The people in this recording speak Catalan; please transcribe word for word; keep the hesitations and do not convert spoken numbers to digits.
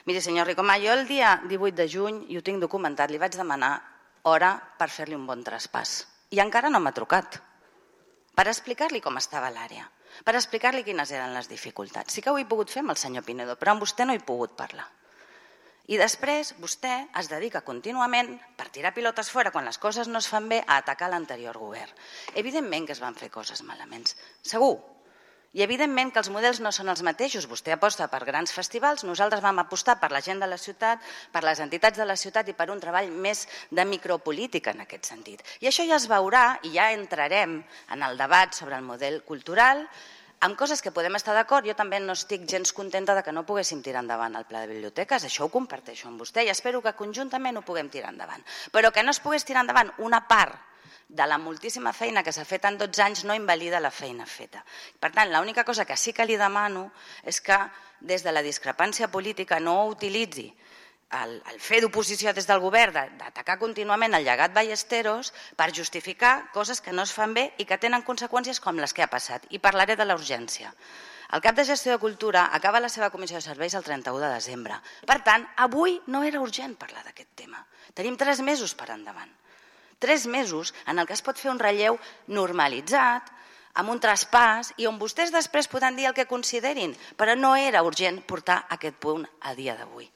Miri, senyor Ricomà, jo el dia divuit de juny, i ho tinc documentat, li vaig demanar hora per fer-li un bon traspàs. I encara no m'ha trucat. Per explicar-li com estava l'àrea, per explicar-li quines eren les dificultats. Sí que ho he pogut fer amb el senyor Pinedo, però amb vostè no he pogut parlar. I després vostè es dedica contínuament, per tirar pilotes fora quan les coses no es fan bé, a atacar l'anterior govern. Evidentment que es van fer coses malament, segur. I evidentment que els models no són els mateixos. Vostè aposta per grans festivals, nosaltres vam apostar per la gent de la ciutat, per les entitats de la ciutat i per un treball més de micropolítica en aquest sentit. I això ja es veurà i ja entrarem en el debat sobre el model cultural, amb coses que podem estar d'acord. Jo també no estic gens contenta de que no poguéssim tirar endavant el pla de biblioteques, això ho comparteixo amb vostè i espero que conjuntament ho puguem tirar endavant. Però que no es pogués tirar endavant una part de la moltíssima feina que s'ha fet en dotze anys no invalida la feina feta. Per tant, l'única cosa que sí que li demano és que des de la discrepància política no utilitzi el, el fer d'oposició des del govern, d'atacar contínuament el llegat Ballesteros per justificar coses que no es fan bé i que tenen conseqüències com les que ha passat. I parlaré de la urgència. El cap de gestió de Cultura acaba la seva comissió de serveis el trenta-u de desembre. Per tant, avui no era urgent parlar d'aquest tema. Tenim tres mesos per endavant. Tres mesos en el que es pot fer un relleu normalitzat, amb un traspàs, i on vostès després podran dir el que considerin, però no era urgent portar aquest punt a dia d'avui.